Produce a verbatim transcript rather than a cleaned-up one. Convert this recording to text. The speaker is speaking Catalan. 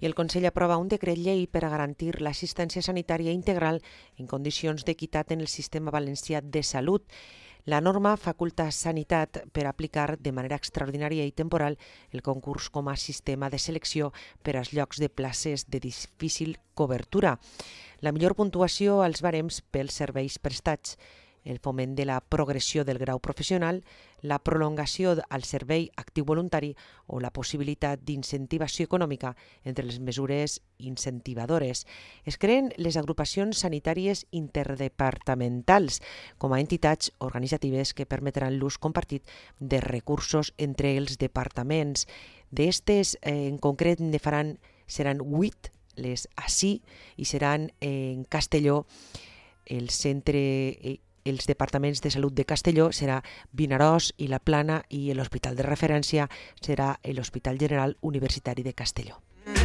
I el Consell aprova un decret llei per a garantir l'assistència sanitària integral en condicions d'equitat en el sistema valencià de salut. La norma faculta Sanitat per aplicar de manera extraordinària i temporal el concurs com a sistema de selecció per als llocs de places de difícil cobertura. La millor puntuació als barems pels serveis prestats, el foment de la progressió del grau professional, la prolongació al servei actiu voluntari o la possibilitat d'incentivació econòmica entre les mesures incentivadores. Es creen les agrupacions sanitàries interdepartamentals com a entitats organitzatives que permetran l'ús compartit de recursos entre els departaments. D'estes, eh, en concret, ne faran, seran vuit les ací i seran en Castelló, el centre eh, els departaments de salut de Castelló serà Vinaròs i La Plana i l'hospital de referència serà l'Hospital General Universitari de Castelló. Mm,